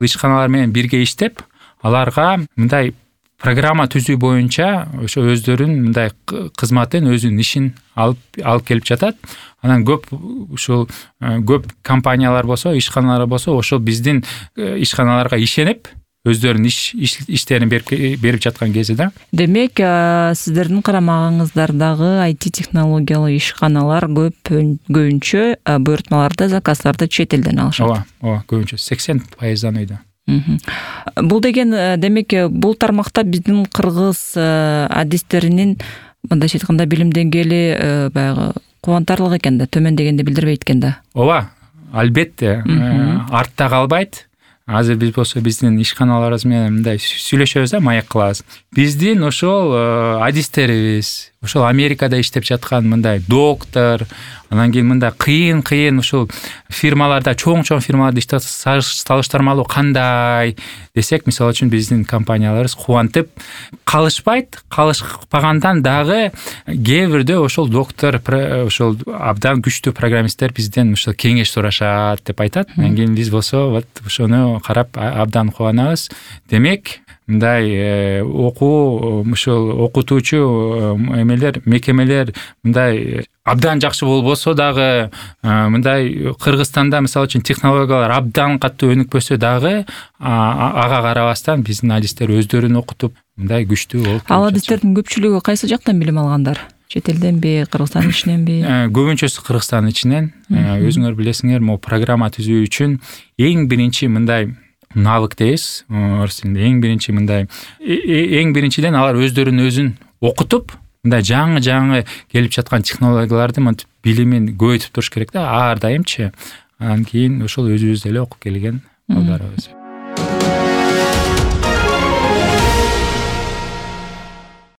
ишканалар менен бирге иштеп, аларга мындай программа түзүү боюнча ошо өздөрүнүн мындай кызматын, өзүнүн ишин алып келип жатат. Анан көп компаниялар болсо, ишканалар болсо, ошол биздин ишканаларга ишенип, өздөрүнүн иштерин берип жаткан кезде да. Демек, сиздердин карамагыңыздардагы IT технологиялуу ишканалар көбүнчө буйртмаларды, заказдарды чет элден алышат. Ооба, көбүнчө 80% үйдө. Бул деген демек бул тармакта биздин кыргыз адистеринин мындайча айтканда билим деңгээли баягы кубантарлык экен да, төмөн дегенди билдирбейт экен да. Ооба, албетте, артта калбайт. Азыр биз болсо биздин ишканаларыбыз менен мындай сүйлөшөбүз да, маек кылабыз. Биздин ошол адистерибиз, ошол Америкада иштеп жаткан мындай доктор, анан кийин мындай кыйын ошол фирмаларда, чоң фирмаларда иштеп салыштырмалуу кандай десек, мисалы үчүн биздин компанияларыбыз кубантып калышпайт. Калышпагандан дагы кээ бирде ошол доктор, ошол абдан күчтүү программисттер бизден ошол кеңеш сурашат деп айтат. Анан кийин биз болсо вот ошону карап абдан кубанабыз. Демек, мындай ошол окутуучу мекемелер мындай абдан жакшы болбосо дагы, мындай Кыргызстанда мисалы үчүн технологиялар абдан катуу өнүкпөсө дагы, ага карабастан биздин адистер өздөрүн окутуп, мындай күчтүү болуп. Ал адистердин көпчүлүгү кайсы жактан билим алгандар? Чет элденби, Кыргызстандын ичиненби? Көбүнчөсү Кыргызстандын ичинен. Өзүңөр билесиңер, могу программа түзүү үчүн эң биринчи мындай навык дейбиз, орус тилинде эң биринчиден алар өзүн окутуп, мындай жаңы келип жаткан технологияларды мынтип билимин көбөйтүп туруш керек да, ар дайымчы. Анан кийин ошол өзүбүз деле окуп келген балдарыбыз.